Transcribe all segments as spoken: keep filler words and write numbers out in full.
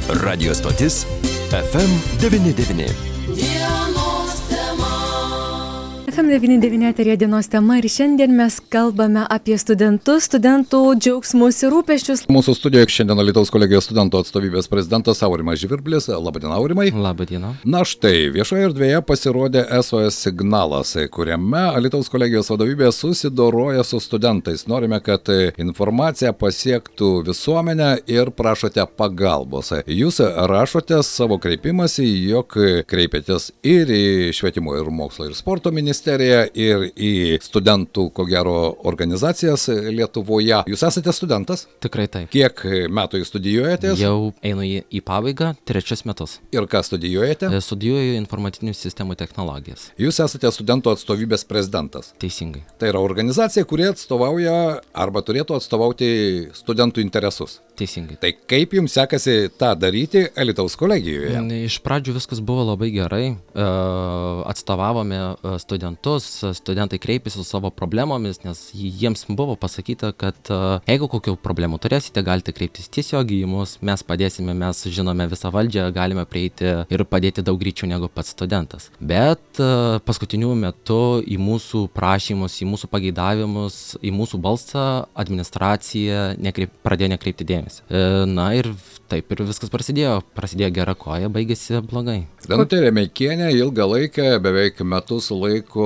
Radio stotis F M devyni devyni. F M devyni devyni eteryje dienos tema ir šiandien mes kalbame apie studentus, studentų džiaugsmus ir rūpesčius. Mūsų studijoje šiandien Alytaus kolegijos studentų atstovybės prezidentas Aurimas Žvirblis. Labadiena, Aurimai. Labadiena. Na štai, viešoje erdvėje pasirodė S O S signalas, kuriame Alytaus kolegijos vadovybė susidoroja su studentais. Norime, kad informacija pasiektų visuomenę ir prašote pagalbos. Jūs rašote savo kreipimąsi, jog kreipiatės ir į švietimo ir mokslo ir sporto ministeriją, ir į studentų, ko gero, organizacijas Lietuvoje. Jūs esate studentas? Tikrai taip. Kiek metų jūs studijuojate? Jau einu į, į pabaigą, trečius metus. Ir ką studijuojate? Studijuoju informacinių sistemų technologijas. Jūs esate studentų atstovybės prezidentas. Teisingai. Tai yra organizacija, kuri atstovauja arba turėtų atstovauti studentų interesus. Teisingai. Tai kaip jums sekasi tą daryti Alytaus kolegijoje? Iš pradžių viskas buvo labai gerai. Atstovavome studentus, studentai kreipėsi su savo problemomis, nes jiems buvo pasakyta, kad jeigu kokių problemų turėsite, galite kreiptis tiesiog į mus, mes padėsime, mes žinome visą valdžią, galime prieiti ir padėti daug greičiau negu pats studentas. Bet paskutiniu metu į mūsų prašymus, į mūsų pageidavimus, į mūsų balsą administracija nekreip, pradėjo nekreipti dėmesį. Na ir taip ir viskas prasidėjo. Prasidėjo gera koja, baigėsi blogai. Danutė Remeikienė ilgą laiką, beveik metus laiko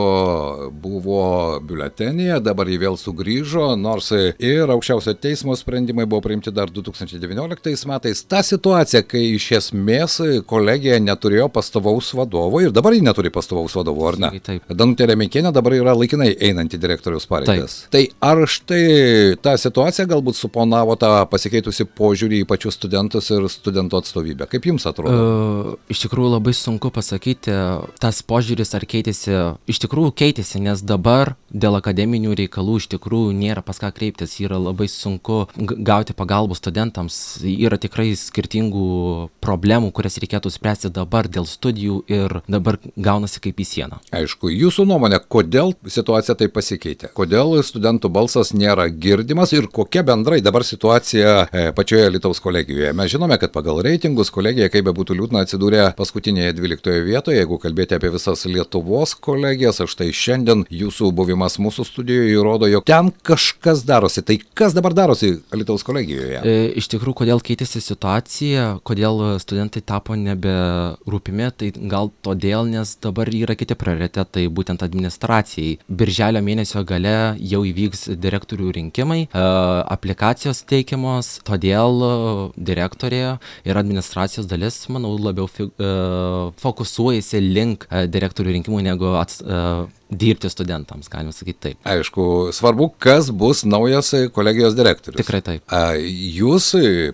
buvo biuletenyje, dabar jį vėl sugrįžo, nors ir aukščiausio teismo sprendimai buvo priimti dar du tūkstančiai devynioliktais metais. Ta situacija, kai iš esmės kolegija neturėjo pastovaus vadovo ir dabar ji neturi pastovaus vadovo, ar ne? Taip. Danutė Remeikienė dabar yra laikinai einanti direktoriaus pareigas. Tai ar štai ta situacija galbūt suponavo tą pasikeitusi požiūrį į pačius studentus ir studentų atstovybę? Kaip jums atrodo? Uh, iš tikrųjų labai sunku pasakyti, tas požiūris ar keitėsi, iš tikrųjų keitėsi, nes dabar dėl akademinių reikalų iš tikrųjų nėra pas ką kreiptis, yra labai sunku gauti pagalbą studentams, yra tikrai skirtingų problemų, kurias reikėtų spręsti dabar dėl studijų ir dabar gaunasi kaip į sieną. Aišku, jūsų nuomonė, kodėl situacija taip pasikeitė? Kodėl studentų balsas nėra girdimas ir kokia bendrai dabar situacija pačioje Alytaus kolegijoje? Mes žinome, kad pagal reitingus kolegija, kaip bebūtų liūdna, atsidūrė paskutinėje dvyliktoje vietoje. Jeigu kalbėti apie visas Lietuvos kolegijas, štai šiandien jūsų buvimas mūsų studijoje įrodo, jog ten kažkas darosi. Tai kas dabar darosi Alytaus kolegijoje? E, iš tikrųjų, kodėl keitėsi situacija, kodėl studentai tapo neberūpimi, tai gal todėl, nes dabar yra kiti prioritetai, būtent administracijai. Birželio mėnesio gale jau įvyks direktorių rinkimai, e, aplikacijos teikiamos, todėl direktorė ir administracijos dalis, manau, labiau fi, uh, fokusuojasi link uh, direktorių rinkimų negu ats, uh, dirbti studentams, galima sakyti taip. Aišku, svarbu, kas bus naujas kolegijos direktorius. Tikrai taip. A, jūs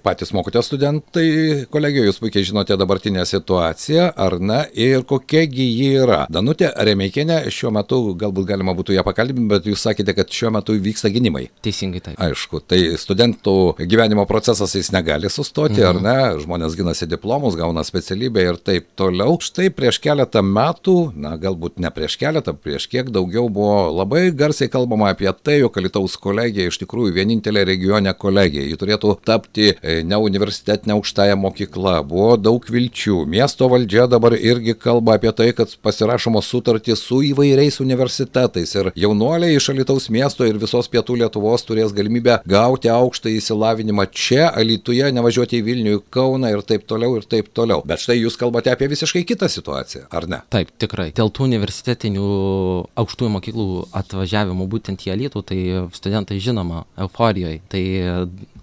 patys mokote studentai kolegijoje, jūs puikiai žinote dabartinę situaciją, ar ne, ir kokiagi ji yra. Danutė Remeikienė šiuo metu, galbūt galima būtų ją pakalbinti, bet jūs sakėte, kad šiuo metu vyksta gynimai. Teisingai taip. Aišku, tai studentų gyvenimo procesas jis negali sustoti, mhm. ar ne, žmonės ginasi diplomus, gauna specialybę ir taip toliau. Štai prieš keletą metų, na galbūt ne prieš keletą, prieš kiek daugiau buvo labai garsiai kalbama apie tai, jog Alytaus kolegija iš tikrųjų vienintelė regione kolegija. Ji turėtų tapti ne universitetinė aukštąją mokyklą. Buvo daug vilčių. Miesto valdžia dabar irgi kalba apie tai, kad pasirašomos sutartys su įvairiais universitetais ir jaunuoliai iš Alytaus miesto ir visos pietų Lietuvos turės galimybę gauti aukštą įsilavinimą čia, Alytuje, nevažiuoti į Vilnių, į Kauną ir taip toliau ir taip toliau. Bet štai jūs kalbate apie visiškai kitą situaciją, ar ne? Taip, tikrai. Dėl tų universitetinių aukštųjų mokyklų atvažiavimo būtent į Alytų, tai studentai žinoma euforijoje, tai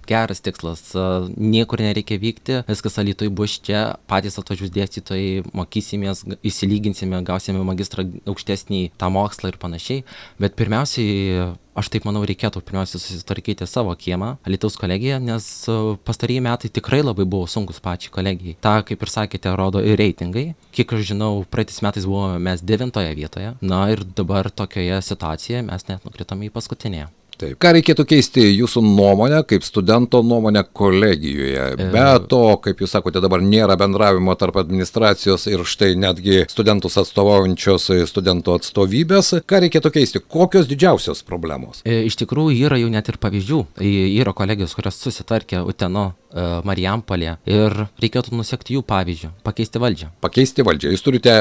geras tikslas, niekur nereikia vykti, viskas Alytuje bus čia, patys atvažiuos dėstytojai, mokysimės, įsilyginsime, gausime magistrą aukštesnį tą mokslą ir panašiai, bet pirmiausiai aš taip manau, reikėtų pirmiausia susitvarkyti savo kiemą, Alytaus kolegiją, nes pastarieji metai tikrai labai buvo sunkus pačiai kolegijai. Ta, kaip ir sakėte, rodo ir reitingai. Kiek aš žinau, praeitais metais buvome mes devintoje vietoje, na ir dabar tokioje situacijoje mes net nukritome į paskutinėje. Taip. Ką reikėtų keisti jūsų nuomonę, kaip studento nuomonę kolegijoje? Be to, kaip jūs sakote, dabar nėra bendravimo tarp administracijos ir štai netgi studentus atstovaujančios studentų atstovybės. Ką reikėtų keisti? Kokios didžiausios problemos? Iš tikrųjų yra jau net ir pavyzdžių. Yra kolegijos, kurios susitvarkė Uteno Marijampolė ir reikėtų nusekti jų pavyzdžių, pakeisti valdžią. Pakeisti valdžią. Jūs turite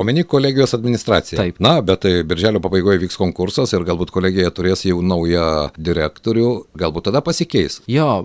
omeny kolegijos administraciją. Taip. Na, bet birželio pabaigoje vyks konkursas ir galbūt kolegija turės jau naują direktorių, galbūt tada pasikeis. Jo,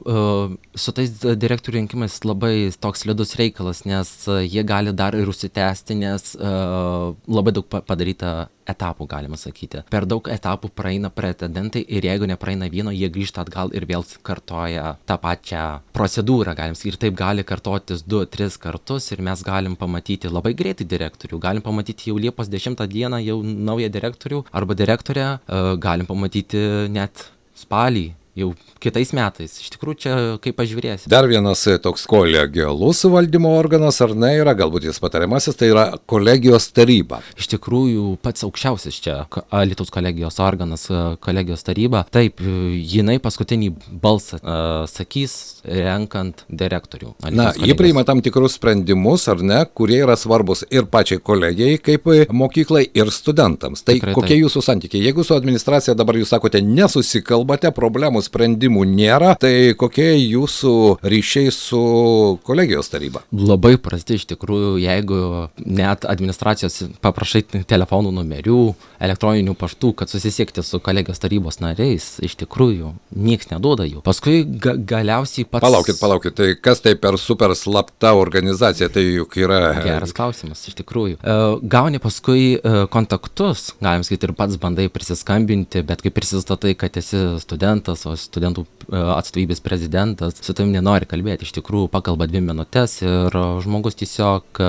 su tais direktorių rinkimais labai toks slidus reikalas, nes jie gali dar ir užsitęsti, nes labai daug padaryta etapų, galima sakyti. Per daug etapų praeina pretendentai ir jeigu nepraeina vieno, jie grįžta atgal ir vėl kartoja tą pačią procedūrą, galim sakyti. Ir taip gali kartotis du, tris kartus ir mes galim pamatyti labai greitai direktorių. Galim pamatyti jau Liepos dešimtą dieną jau naują direktorių arba direktorę, galim pamatyti net spalį. Jau kitais metais. Iš tikrųjų, čia kaip pažiūrėsi. Dar vienas toks kolegialus valdymo organas, ar ne, yra, galbūt jis patariamasis, tai yra kolegijos taryba. Iš tikrųjų, pats aukščiausias čia Alytaus kolegijos organas, kolegijos taryba. Taip, jinai paskutinį balsą uh, sakys, renkant direktorių. Alytaus Na, kolegijos. Ji priima tam tikrus sprendimus, ar ne, kurie yra svarbus ir pačiai kolegijai, kaip mokyklai, ir studentams. Tai Tikrai kokie taip. Jūsų santykiai? Jeigu su administracija dabar jūs sakote, nesusikalbate, problemų sprendimų nėra, tai kokie jūsų ryšiai su kolegijos taryba? Labai prasti iš tikrųjų, jeigu net administracijos paprašai telefonų numerių, elektroninių paštų, kad susisiekti su kolegijos tarybos nariais, iš tikrųjų nieks neduoda jų. Paskui ga galiausiai pats... Palaukit, palaukit, tai kas tai per super slapta organizacija, tai juk yra... Geras klausimas, iš tikrųjų. Gauni paskui kontaktus, galim sakyti, ir pats bandai prisiskambinti, bet kai prisistatai, kad esi studentas, o studentų atstovybės prezidentas, su tavim nenori kalbėti, iš tikrųjų pakalba dvi minutės ir žmogus tiesiog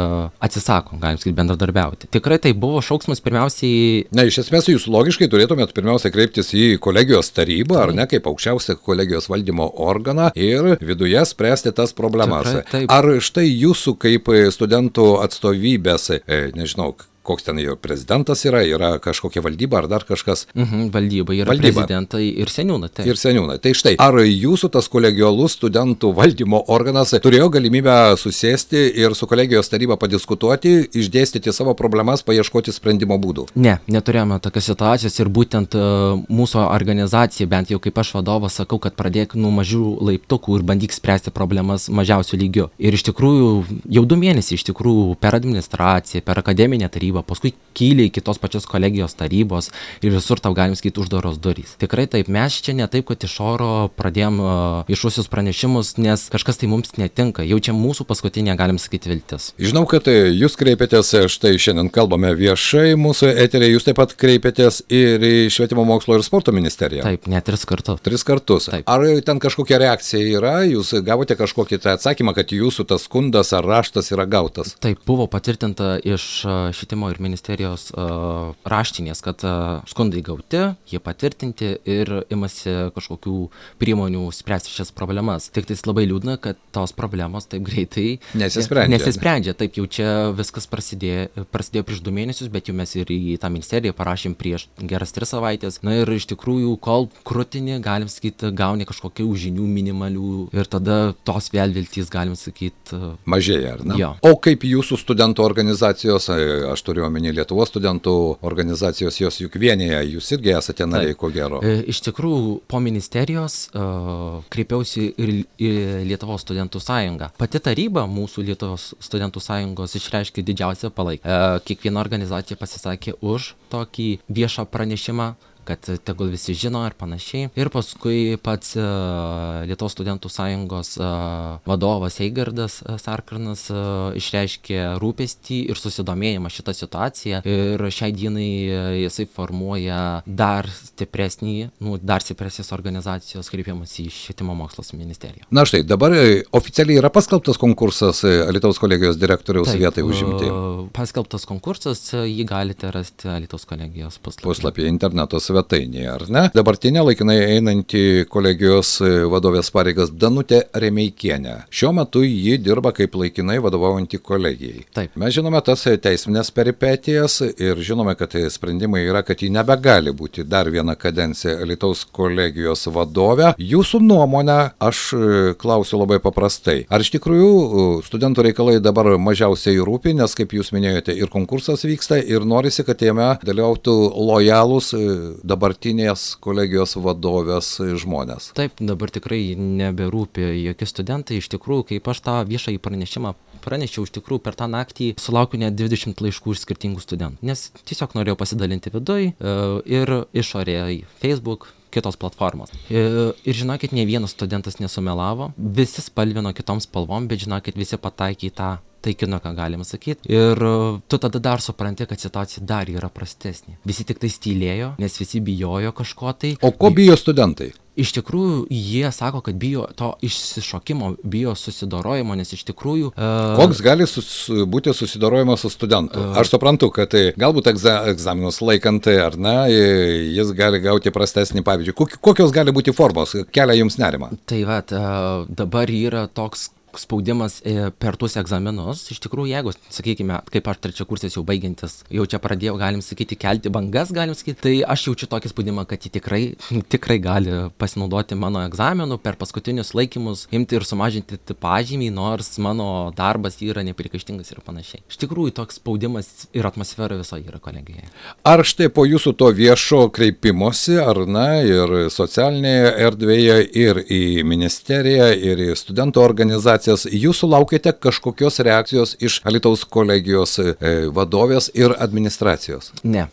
atsisako, galim sakyti, bendradarbiauti. Tikrai tai buvo šauksmas pirmiausiai... Na, iš esmės jūs logiškai turėtumėt pirmiausia kreiptis į kolegijos tarybą, ar ne, kaip aukščiausią kolegijos valdymo organą ir viduje spręsti tas problemas. Tikrai, taip. Ar štai jūsų kaip studentų atstovybės, e, nežinau, koks ten jo prezidentas yra, yra kažkokia valdyba ar dar kažkas? Mhm, valdyba yra Valdyba. prezidentai ir seniūnai. Tai. Ir seniūnai. Tai štai, ar jūsų tas kolegialus studentų valdymo organas turėjo galimybę susėsti ir su kolegijos taryba padiskutuoti, išdėstyti savo problemas, paieškoti sprendimo būdų? Ne, neturėjome tokios situacijos ir būtent uh, mūsų organizacija, bent jau kaip aš vadovas, sakau, kad pradėk nuo mažų laiptukų ir bandyk spręsti problemas mažiausių lygių. Ir iš tikrųjų, jau du mėnesiai iš tikrųjų per administraciją, per akademinę tarybą, paskui kyli iki tos pačios kolegijos tarybos ir visur tau galim sakyti uždaros durys. Tikrai taip, mes čia ne taip, kad iš oro pradėjom uh, viešuosius pranešimus, nes kažkas tai mums netinka. Jau čia mūsų paskutinė, galim sakyti, viltis. Žinau, kad jūs kreipėtės, štai šiandien kalbame viešai, mūsų eterė, jūs taip pat kreipėtės ir į Švietimo mokslo ir sporto ministeriją. Taip, net tris kartus. Tris kartus. Taip. Ar ten kažkokia reakcija yra? Jūs gavote kažkokį tą atsakymą, kad jūsų tas skundas ar raštas yra gautas? Taip, buvo patvirtinta iš švietimo ir ministerijos uh, raštinės, kad uh, skundai gauti, jie patvirtinti ir imasi kažkokių priemonių spręsti šias problemas. Tik tai labai liūdna, kad tos problemos taip greitai Nesisprendžia. Nesisprendžia. Taip, jau čia viskas prasidėjo, prasidėjo prieš du mėnesius, bet jau mes ir į tą ministeriją parašėm prieš geras tris savaitės. Na ir iš tikrųjų, kol krūtinį, galim sakyti, gauni kažkokių žinių minimalių ir tada tos vėl viltys, galim sakyti, mažėja, ar ne? Jo. O kaip jūsų studentų organizacijos, aš turiu omeny Lietuvos studentų organizacijos, jos juk vienyje, jūs irgi esate nariai, ko gero. E, iš tikrųjų, po ministerijos uh, kreipiausi ir į Lietuvos studentų sąjungą. Pati taryba mūsų Lietuvos studentų sąjungos išreiškė didžiausią palaikymą. E, kiekviena organizacija pasisakė už tokį viešą pranešimą, kad tegul visi žino ir panašiai. Ir paskui pats uh, Lietuvos studentų sąjungos uh, vadovas Eigardas uh, Sarkarnas uh, išreiškė rūpestį ir susidomėjimą šitą situaciją. Ir šiai dienai uh, jisai formuoja dar stipresnį, nu, dar stipresnės organizacijos kreipimas į Švietimo mokslo ministeriją. Na štai, dabar oficialiai yra paskelbtas konkursas Alytaus kolegijos direktoriaus Taip, vietai užimti. Uh, paskelbtas konkursas, uh, jį galite rasti Alytaus kolegijos puslapyje. Puslapyje interneto svetainėje, ar ne? Dabartinė laikinai einanti kolegijos vadovės pareigas Danutė Remeikienė. Šiuo metu ji dirba kaip laikinai vadovaujanti kolegijai. Taip. Mes žinome tas teisminės peripetijas ir žinome, kad sprendimai yra, kad ji nebegali būti dar vieną kadenciją Alytaus kolegijos vadovė. Jūsų nuomonę aš klausiu labai paprastai. Ar iš tikrųjų studentų reikalai dabar mažiausiai rūpi, nes kaip jūs minėjote, ir konkursas vyksta ir norisi, kad jame dalyvautų lojalūs dabartinės kolegijos vadovės žmonės? Taip, dabar tikrai neberūpi jokie studentai. Iš tikrųjų, kaip aš tą viešąjį pranešimą pranešiau, iš tikrųjų per tą naktį sulaukiu net dvidešimt laiškų iš skirtingų studentų, nes tiesiog norėjau pasidalinti viduj ir išorėje Facebook, kitos platformos. Ir, ir žinokit, ne vienas studentas nesumelavo, visi spalvino kitom spalvom, bet žinokit, visi pataikė į tą taikinuką, galima sakyti. Ir tu tada dar supranti, kad situacija dar yra prastesnė. Visi tik tai tylėjo, nes visi bijojo kažko tai. O ko bijo studentai? Iš tikrųjų, jie sako, kad bijo to išsišokimo, bijo susidorojimo, nes iš tikrųjų... Uh, Koks gali sus, būti susidorojimas su studentu? Uh, Aš suprantu, kad tai, galbūt egza, egzaminus laikant, ar ne, jis gali gauti prastesnį pavyzdžių. Kokios gali būti formos? Kelia jums nerimą? Tai va, uh, dabar yra toks spaudimas per tuos egzaminus. Iš tikrųjų, jeigu, sakykime, kaip aš trečiakursis jau baigiantis, jau čia pradėjau, galim sakyti, kelti bangas, galim sakyti, tai aš jaučiu tokį spaudimą, kad jie tikrai, tikrai gali pasinaudoti mano egzaminų per paskutinius laikymus, imti ir sumažinti pažymį, nors mano darbas yra nepriekaištingas ir panašiai. Iš tikrųjų, toks spaudimas ir atmosfera viso yra kolegijoje. Ar štai po jūsų to viešo kreipimosi, ar ne, ir socialinėje erdvėje, ir į ministeriją, ir į studentų organizaciją, jūs sulaukėte kažkokios reakcijos iš Alytaus kolegijos vadovės ir administracijos? Ne.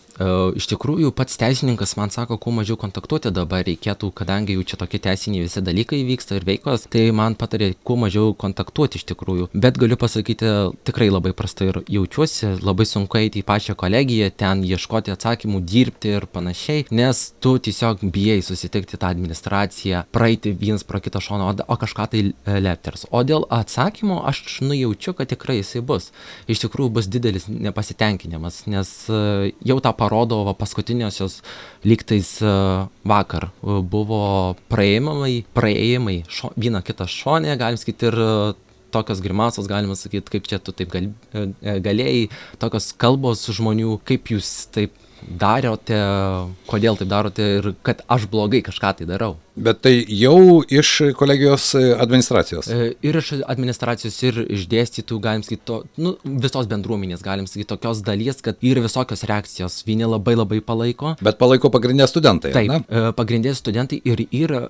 Iš tikrųjų, pats teisininkas man sako, kuo mažiau kontaktuoti dabar reikėtų, kadangi jau čia tokie teisiniai visi dalykai vyksta ir veikos, tai man patarė kuo mažiau kontaktuoti iš tikrųjų. Bet galiu pasakyti, tikrai labai prastai ir jaučiuosi, labai sunku eiti į pačią kolegiją, ten ieškoti atsakymų, dirbti ir panašiai, nes tu tiesiog bijai susitikti tą administraciją, praeiti vienas pro kitą šoną, o kažką tai lepters. O dėl atsakymo aš nujaučiu, kad tikrai jisai bus. Iš tikrųjų bus didelis nepasitenkinimas, nes jau tą parodo va, paskutiniosios lygtais vakar buvo praėjimai, praėjimai šo, vieną kitą šonę, galim sakyti, ir tokios grimasos, galima sakyti, kaip čia tu taip gal, galėjai, tokios kalbos žmonių, kaip jūs taip darote, kodėl taip darote ir kad aš blogai kažką tai darau. Bet tai jau iš kolegijos administracijos? Ir iš administracijos, ir iš dėstytų, galim sakyti, to, nu, visos bendruomenės, galim sakyti, tokios dalies, kad yra visokios reakcijos, vieni labai labai palaiko. Bet palaiko pagrindė studentai, taip, ne? Pagrindė studentai ir yra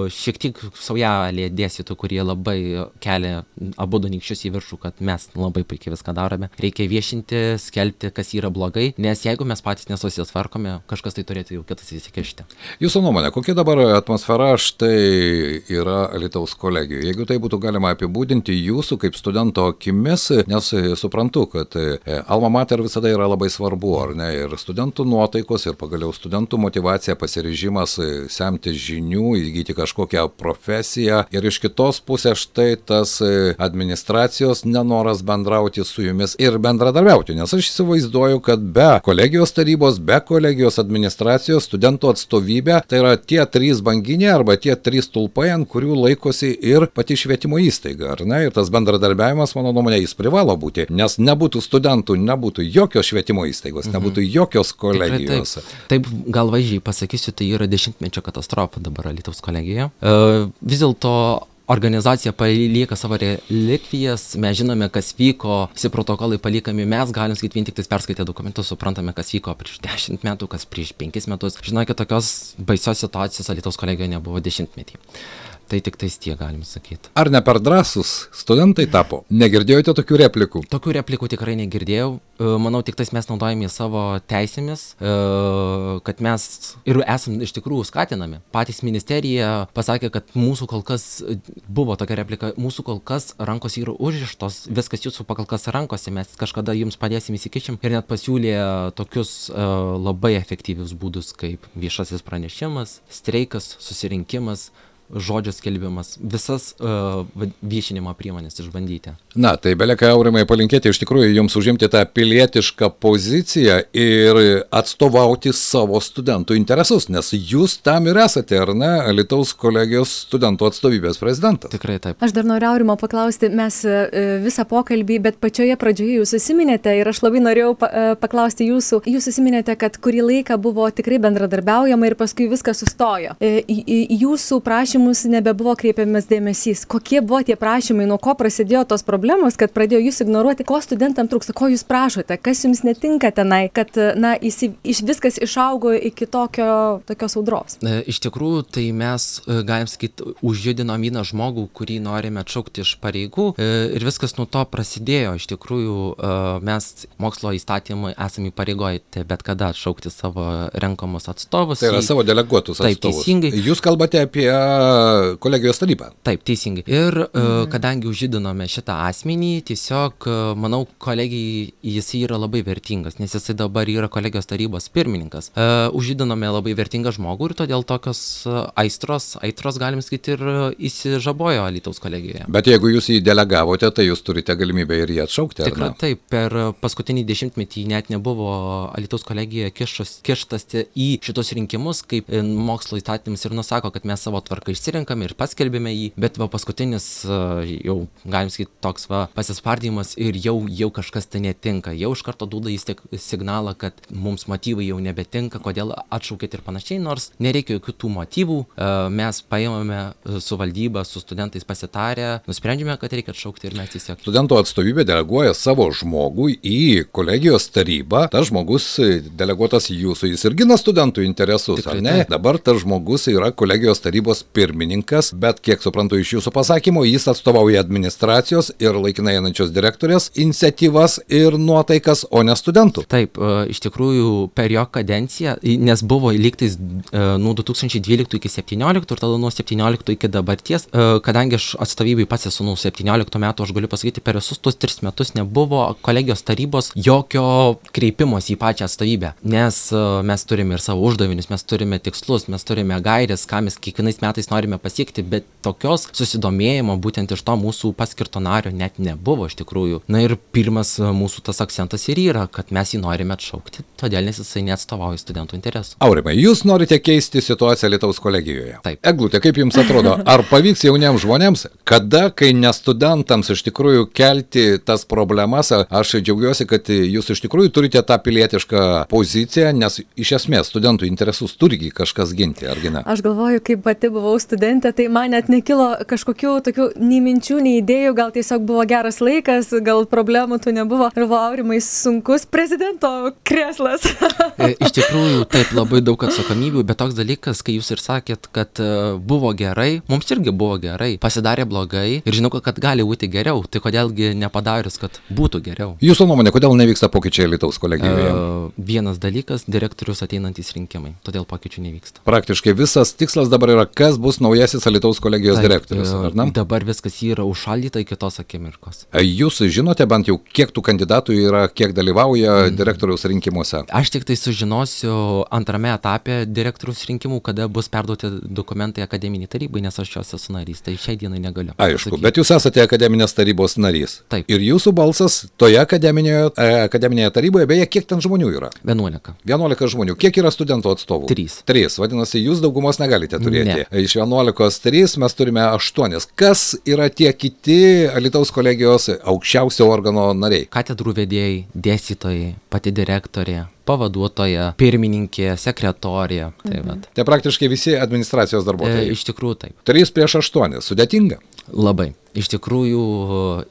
šiek tiek saujelė dėstytų, kurie labai kelia abu nykščius į viršų, kad mes labai puikiai viską darome. Reikia viešinti, skelbti, kas yra blogai, nes jeigu mes patys nesusitvarkome, kažkas tai turėtų jau kitas įsikišti. Jūsų nuomonė, kokia dabar atmosfera štai yra Alytaus kolegijoje? Jeigu tai būtų galima apibūdinti jūsų kaip studento akimis, nes suprantu, kad alma mater visada yra labai svarbu, ar ne, ir studentų nuotaikos, ir pagaliau studentų motyvacija, pasiryžimas semti žinių, įgyti kažkokią profesiją, ir iš kitos pusės štai tas administracijos nenoras bendrauti su jumis ir bendradarbiauti, nes aš įsivaizduoju, kad be kolegijos tarybos, be kolegijos administracijos, studentų atstovybė, tai yra tie trys banginiai arba tie trys stulpai, ant kurių laikosi ir pati švietimo įstaiga, ar ne? Ir tas bendradarbiavimas, mano nuomonė, jis privalo būti, nes nebūtų studentų, nebūtų jokios švietimo įstaigos, mhm. nebūtų jokios kolegijos. Taip, taip, taip, gal vaizdžiai pasakysiu, tai yra dešimtmečio katastrofa dabar Alytaus kolegijoje. Uh, vis dėlto organizacija palieka savo relikvijas, mes žinome, kas vyko, visi protokolai palikami, mes galim sakyti, vien tik perskaitę dokumentus, suprantame, kas vyko prieš dešimt metų, kas prieš penkis metus. Žinokit, tokios baisios situacijos Alytaus kolegijoje nebuvo dešimtmetį. Tai tik tais tie, galim sakyti. Ar ne per drąsus studentai tapo? Negirdėjote tokių replikų? Tokių replikų tikrai negirdėjau. Manau, tik tais mes naudojame savo teisėmis, kad mes ir esam iš tikrųjų skatinami. Patys ministerija pasakė, kad mūsų kol kas buvo tokia replika, mūsų kol kas rankos yra užrištos, viskas jūsų kol kas rankose, mes kažkada jums padėsim įsikišim ir net pasiūlė tokius labai efektyvius būdus kaip viešasis pranešimas, streikas, susirinkimas, žodžio skelbimas, visas uh, viešinimo priemonės išbandyti. Na, tai belieka, Aurimai, palinkėti iš tikrųjų jums užimti tą pilietišką poziciją ir atstovauti savo studentų interesus, nes jūs tam ir esate, ar ne, Alytaus kolegijos studentų atstovybės prezidentas. Tikrai taip. Aš dar noriu Aurimo paklausti, mes visą pokalbį, bet pačioje pradžioje jūs susiminėte ir aš labai norėjau paklausti jūsų, jūs susiminėte, kad kurį laiką buvo tikrai bendradarbiaujama ir paskui viskas sustojo. Jūsų prašymų prašymus nebebuvo kreipiamas dėmesys. Kokie buvo tie prašymai, nuo ko prasidėjo tos problemos, kad pradėjo jūs ignoruoti, ko studentam trūksta, ko jūs prašote, kas jums netinka tenai, kad na, įsi, iš, viskas išaugo iki tokio, tokios audros? Iš tikrųjų, tai mes, galim sakyti, užjudinom vieną žmogų, kurį norime atšaukti iš pareigų ir viskas nuo to prasidėjo. Iš tikrųjų, mes mokslo įstatymai esame įpareigoti bet kada atšaukti savo renkamus atstovus. Tai yra savo deleguotus atstovus. Taip, teisingai. Jūs kalbate apie kolegijos tarybą. Taip, teisingai. Ir mhm. kadangi užjudinome šitą asmenį, tiesiog, manau, kolegijai jis yra labai vertingas, nes jisai dabar yra kolegijos tarybos pirmininkas. Užjudinome labai vertingą žmogų ir todėl tokios aistros, aistros galim sakyti, ir įsižabojo Alytaus kolegijoje. Bet jeigu jūs jį delegavote, tai jūs turite galimybę ir jį atšaukti, ar Tikrai, ne? Taip, per paskutinį dešimtmetį net nebuvo Alytaus kolegijoje kištasi į šitos rinkimus, kaip mokslo įstatymas ir nusako, kad mes savo tvarką išsirinkame ir paskelbėme jį, bet va paskutinis jau, galim sakyti, toks va pasispardymas ir jau, jau kažkas tai netinka. Jau iš karto duoda jis tik signalą, kad mums motyvai jau nebetinka, kodėl atšaukėt ir panašiai, nors nereikia jokių tų motyvų. Mes paėmėme su valdyba, su studentais pasitarę, nusprendėme, kad reikia atšaukti ir mes tiesiog. Studentų atstovybė deleguoja savo žmogų į kolegijos tarybą. Tas žmogus deleguotas jūsų, jis ir gina studentų interesus, Tikrai, ar ne? taip. Dabar tas žmogus yra kolegijos tarybos pirmininkas, bet kiek suprantu iš jūsų pasakymo, jis atstovauja administracijos ir laikinai einančios direktorės iniciatyvas ir nuotaikas, o ne studentų. Taip, iš tikrųjų per jo kadenciją, nes buvo lygtais nuo du tūkstančiai dvyliktų iki septynioliktų ir tada nuo septynioliktų iki dabarties, kadangi aš atstovybėj pats esu nuo septynioliktų metų, aš galiu pasakyti, per visus tus tris metus nebuvo kolegijos tarybos jokio kreipimosi į pačią atstovybę, nes mes turime ir savo uždavinius, mes turime tikslus, mes turime gairės, ką mes kiekvienais metais norime pasiekti, bet tokios susidomėjimo būtent iš to mūsų paskirto nario net nebuvo iš tikrųjų. Na ir pirmas mūsų tas akcentas ir yra, kad mes jį norime atšaukti, todėl nes jisai neatstovauja studentų interesų. Aurimai, jūs norite keisti situaciją Alytaus kolegijoje. Taip. Eglutė, kaip jums atrodo, ar pavyks jauniems žmonėms, kada, kai ne studentams iš tikrųjų kelti tas problemas, aš džiaugiuosi, kad jūs iš tikrųjų turite tą pilietišką poziciją, nes iš esmės studentų interesus turigi kažkas ginti, argi ne? Aš galvoju, kaip pati buvau studentė, tai man net nekilo kažkokių tokių nei minčių, nei idėjų, gal tiesiog buvo geras laikas, gal problemų tų nebuvo. Ir buvo Aurimai sunkus prezidento kreslas. Iš tikrųjų, taip, labai daug atsakomybių, bet toks dalykas, kai jūs ir sakėt, kad buvo gerai, mums irgi buvo gerai, pasidarė blogai ir žinau, kad gali būti geriau, tai kodėlgi nepadarius, kad būtų geriau. Jūsų nuomonė, kodėl nevyksta pokyčiai Alytaus kolegijoje? Uh, vienas dalykas, direktorius ateinantys rinkimai, todėl pokyčių nevyksta. Praktiškai visas tikslas dabar yra, kas bus naujasis Alytaus kolegijos Taip, direktorius, ar ne? Dabar viskas yra užšaldyta iki tos akimirkos. Jūs žinote bent jau, kiek tų kandidatų yra, kiek dalyvauja mm. direktoriaus rinkimuose? Aš tik tai sužinosiu antrame etape direktoriaus rinkimų, kada bus perduoti dokumentai akademiniai tarybai, nes aš jos esu narys, tai šiai dienai negaliu. Aišku, pasakyti. bet jūs esate akademinės tarybos narys. Taip. Ir jūsų balsas toje akademinėje, akademinėje taryboje, beje, kiek ten žmonių yra? vienuolika. vienuolika žmonių. Kiek yra studentų atstovų? Trys. Trys. Vadinasi, jūs daugumos negalite turėti. Ne. Iš vienuolikos trys mes turime aštuonis. Kas yra tie kiti Alytaus kolegijos aukščiausio organo nariai? Katedrų vedėjai, dėstytojai, pati direktorė, pavaduotoja, pirmininkė, sekretorė. Tai, vat. Tai praktiškai visi administracijos e, darbuotojai. iš tikrųjų taip. Trys prieš aštuonis. Sudėtinga. Labai. Iš tikrųjų,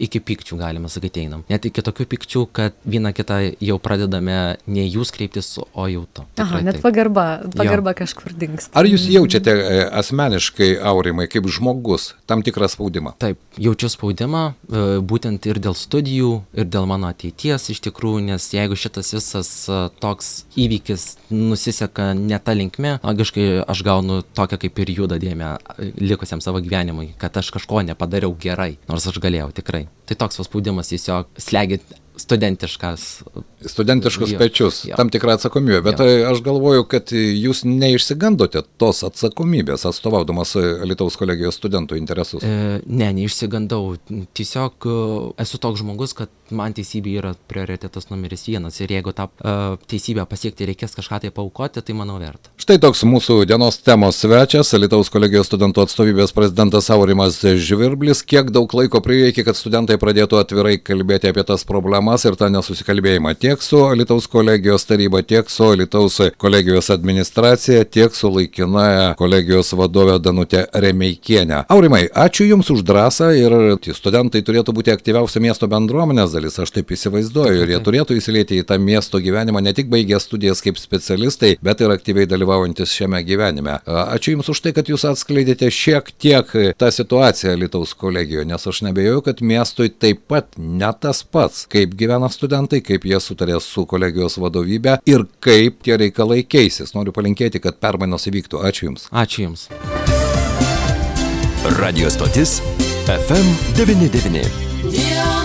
iki pykčių galima sakyti einam. Net iki tokių pykčių, kad vieną kitą jau pradedame ne jūs kreiptis, o jau to. Aha, net pagarba, pagarba kažkur dingsta. Ar jūs jaučiate e, asmeniškai, Aurimai, kaip žmogus, tam tikrą spaudimą? Taip, jaučiu spaudimą, e, būtent ir dėl studijų, ir dėl mano ateities iš tikrųjų, nes jeigu šitas visas e, toks įvykis nusiseka ne ta linkme, logiškai aš gaunu tokią kaip ir juodą dėmę likusiam savo gyvenimui, kad aš kažko nepadariau gerai, nors aš galėjau tikrai. Tai toks spaudimas tiesiog slegia studentiškas. Studentiškus Jo, pečius, jo. tam tikrą atsakomybę, bet Jo. aš galvoju, kad jūs neišsigandote tos atsakomybės, atstovaudamas Alytaus kolegijos studentų interesus. E, ne, neišsigandau. Tiesiog e, esu toks žmogus, kad man teisybė yra prioritetas numeris vienas ir jeigu tą e, teisybę pasiekti reikės kažką tai paaukoti, tai manau verta. Štai toks mūsų dienos temos svečias, Alytaus kolegijos studentų atstovybės prezidentas Aurimas Žvirblis. Kiek daug laiko prireikė, kad studentai pradėtų atvirai kalbėti apie tas problemas problemas ir tą nesusikalbėjimą tiek su Alytaus kolegijos taryba, tiek su Alytaus kolegijos administracija, tiek su laikinaja kolegijos vadove Danute Remeikienė. Aurimai, ačiū Jums už drąsą ir tie studentai turėtų būti aktyviausia miesto bendruomenės dalis, aš taip įsivaizduoju, ir jie turėtų įsilieti į tą miesto gyvenimą, ne tik baigę studijas kaip specialistai, bet ir aktyviai dalyvaujantis šiame gyvenime. Ačiū Jums už tai, kad Jūs atskleidėte šiek tiek tą situaciją Alytaus kolegijoje, nes aš nebejoju, kad miestui taip pat ne tas pats, kaip gyvena studentai, kaip jie sutarė su kolegijos vadovybė ir kaip tie reikalai keisis. Noriu palinkėti, kad permainos įvyktų. Ačiū Jums. Ačiū Jums. Radio stotis F M devyni devyni. Yeah.